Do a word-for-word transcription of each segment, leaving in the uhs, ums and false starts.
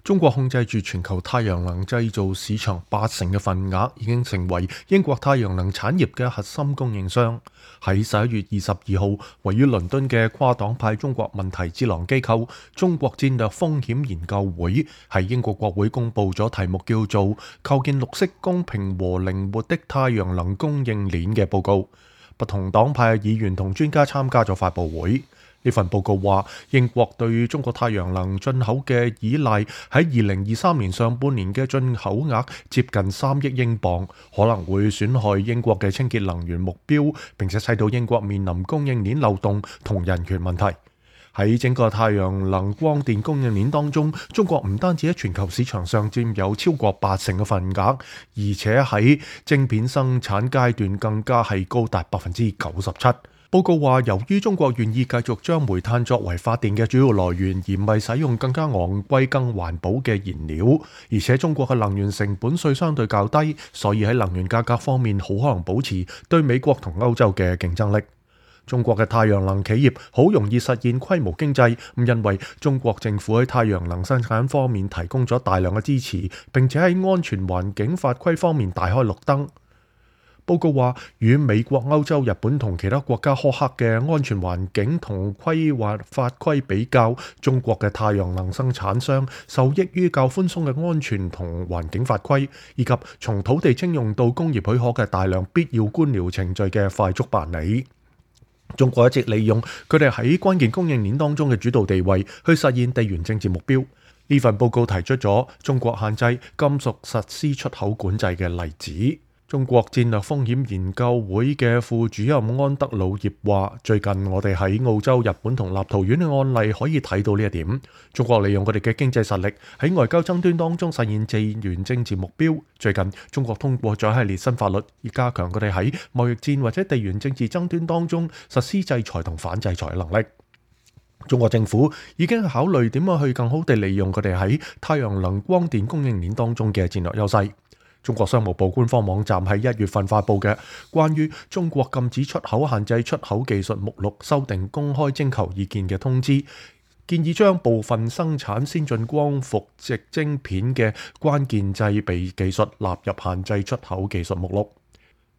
中國控制住全球太陽能製造市場八成嘅份額，已經成為英國太陽能產業嘅核心供應商。喺十一月二十二號，位於倫敦嘅跨黨派中國問題智囊機構中國戰略風險研究會喺英國國會公佈咗題目叫做《構建綠色、公平和靈活的太陽能供應鏈》嘅報告。不同黨派嘅議員同專家參加咗發佈會。呢份報告話，英國對中國太陽能進口嘅依賴喺二零二三年上半年嘅進口額接近三億英鎊，可能會損害英國嘅清潔能源目標，並且使到英國面臨供應鏈漏洞同人權問題。喺整個太陽能光電供應鏈當中，中國唔單止喺全球市場上佔有超過八成嘅份額，而且喺晶片生產階段更加係高達百分之九十七。報告話，由於中國願意繼續將煤炭作為發電嘅主要來源，而唔係使用更加昂貴、更環保嘅燃料，而且中國嘅能源成本稅相對較低，所以喺能源價格方面好可能保持對美國同歐洲嘅競爭力。中國嘅太陽能企業好容易實現規模經濟，咁因為中國政府喺太陽能生產方面提供咗大量嘅支持，並且喺安全環境法規方面大開綠燈。報告話，與美國、歐洲、日本同其他國家苛刻嘅安全環境同規劃法規比較，中國嘅太陽能生產商受益於較寬鬆嘅安全同環境法規，以及從土地徵用到工業許可嘅大量必要官僚程序嘅快速辦理。中國一直利用佢哋喺關鍵供應鏈當中嘅主導地位，去實現地緣政治目標。呢份報告提出咗中國限制金屬實施出口管制嘅例子。中國戰略風險研究會嘅副主任安德魯葉話，最近我哋喺澳洲、日本同立陶宛嘅案例可以睇到呢一點。中國利用佢哋嘅經濟實力喺外交爭端當中實現地緣政治目標。最近中國通過咗一系列新法律，以加強佢哋喺貿易戰或者地緣政治爭端當中實施制裁同反制裁嘅能力。中國政府已經考慮點樣去更好地利用佢哋喺太陽能光電供應鏈當中嘅戰略優勢。中國商務部官方網站喺一月份發布嘅關於中國禁止出口限制出口技術目錄修訂公開徵求意見嘅通知，建議將部分生產先進光伏矽晶片嘅關鍵製備技術納入限制出口技術目錄。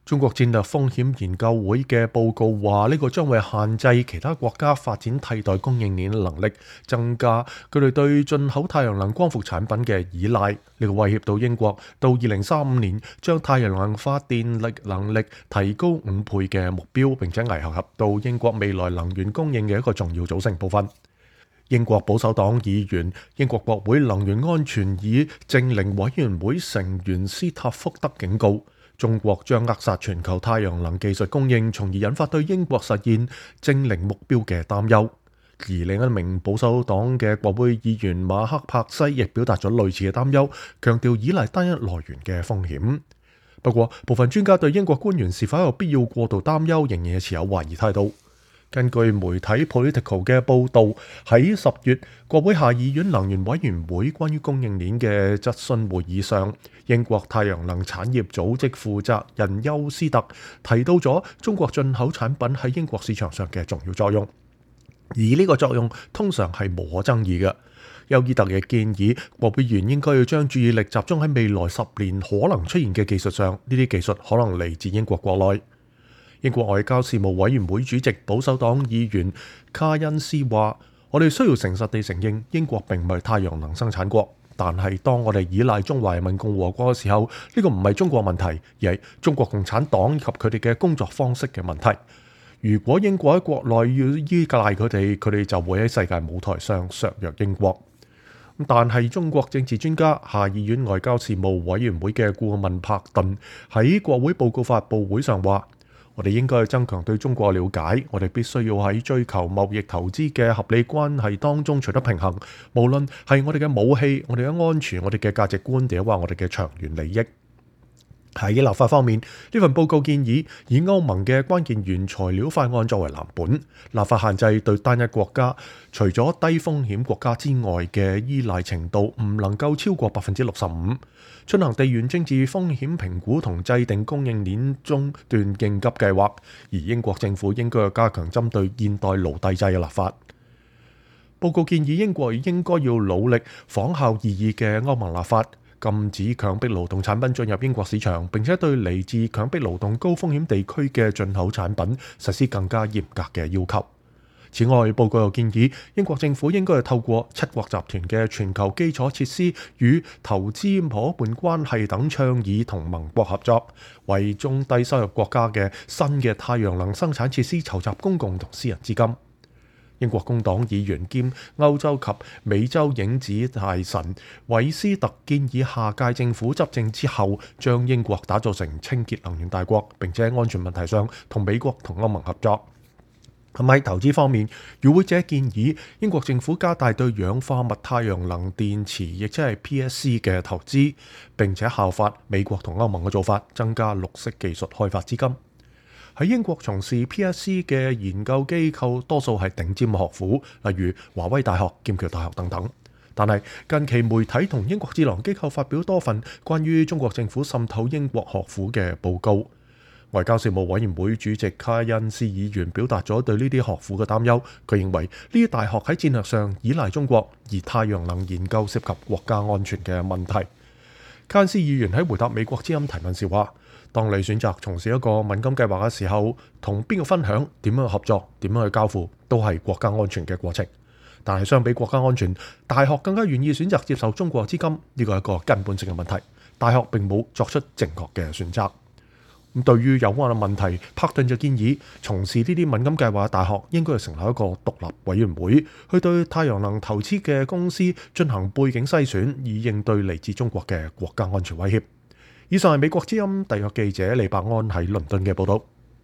中國戰略風險研究會嘅報告話，呢個將會限制其他國家發展替代供應鏈能力，增加佢哋對進口太陽能光伏產品嘅依賴。呢個威脅到英國到二零三五年將太陽能發電力能力提高五倍嘅目標，並且危及到英國未來能源供應嘅一個重要組成部分。英國保守黨議員、英國國會能源安全與淨零委員會成員斯塔福德警告，中國將扼殺全球太陽能技術供應，從而引發對英國實現淨零目標嘅擔憂。而另一名保守黨嘅國會議員馬克柏西亦表達咗類似嘅擔憂，強調依賴單一來源嘅風險。不過，部分專家對英國官員是否有必要過度擔憂，仍然係持有懷疑態度。根據媒體 Political 嘅報導，喺十月國會下議院能源委員會關於供應鏈嘅質詢會議上，英國太陽能產業組織負責人休斯特提到咗中國進口產品喺英國市場上嘅重要作用，而呢個作用通常係無可爭議嘅。休斯特亦建議國會議員應該要將注意力集中喺未來十年可能出現嘅技術上，呢啲技術可能嚟自英國國內。英國外交事務委員會主席保守黨議員卡恩斯話，我哋需要誠實地承認英國並唔係太陽能生產國，但係當我哋依賴中華人民共和國嘅時候，呢個唔係中國問題，而係中國共產黨以及佢哋嘅工作方式嘅問題。如果英國喺國內要依賴佢哋，佢哋就會喺世界舞台上削弱英國。但係中國政治專家、下議院外交事務委員會嘅顧問柏頓喺國會報告發佈會上話，我哋應該去增強對中國嘅了解，我哋必須要喺追求貿易投資嘅合理關係當中取得平衡，無論係我哋嘅武器、我哋嘅安全、我哋嘅價值觀，定係話我哋嘅長遠利益。喺立法方面，呢份報告建議以歐盟嘅關鍵原材料法案作為藍本，立法限制對單一國家除咗低風險國家之外嘅依賴程度唔能夠超過百分之六十五，進行地緣政治風險評估同制定供應鏈中斷應急計劃，而英國政府應該要加強針對現代奴隸制嘅立法。報告建議英國應該要努力仿效擬議嘅歐盟立法，禁止強迫勞動產品進入英國市場，並且對嚟自強迫勞動高風險地區嘅進口產品實施更加嚴格嘅要求。此外，報告又建議英國政府應該係透過七國集團嘅全球基礎設施與投資夥伴關係等倡議同盟國合作，為中低收入國家嘅新嘅太陽能生產設施籌集公共同私人資金。英國工黨議員兼歐洲及美洲影子大臣韋斯特建議下屆政府執政之後，將英國打造成清潔能源大國，並且喺安全問題上同美國同歐盟合作。咁喺投資方面，與會者建議英國政府加大對氧化物太陽能電池，亦即係 P S C 嘅投資，並且效法美國同歐盟嘅做法，增加綠色技術開發資金。喺英國從事 P S C 嘅研究機構多數係頂尖學府，例如華威大學、劍橋大學等等。但係近期媒體同英國智囊機構發表多份關於中國政府滲透英國學府嘅報告。外交事務委員會主席卡恩斯議員表達咗對呢啲學府嘅擔憂。佢認為呢啲大學喺戰略上依賴中國，而太陽能研究涉及國家安全嘅問題。卡恩斯議員喺回答美國之音提問時話：當你選擇從事一個敏感計劃嘅時候，同邊個分享、點樣去合作、點樣去交付，都係國家安全嘅過程。但係相比國家安全，大學更加願意選擇接受中國資金，呢個係一個根本性嘅問題。大學並冇作出正確嘅選擇。咁對於有關嘅問題，帕頓就建議從事呢啲敏感計劃嘅大學應該係成立一個獨立委員會，去對太陽能投資嘅公司進行背景篩選，以應對嚟自中國嘅國家安全威脅。以上係美國之音特約記者李伯安喺倫敦嘅報導。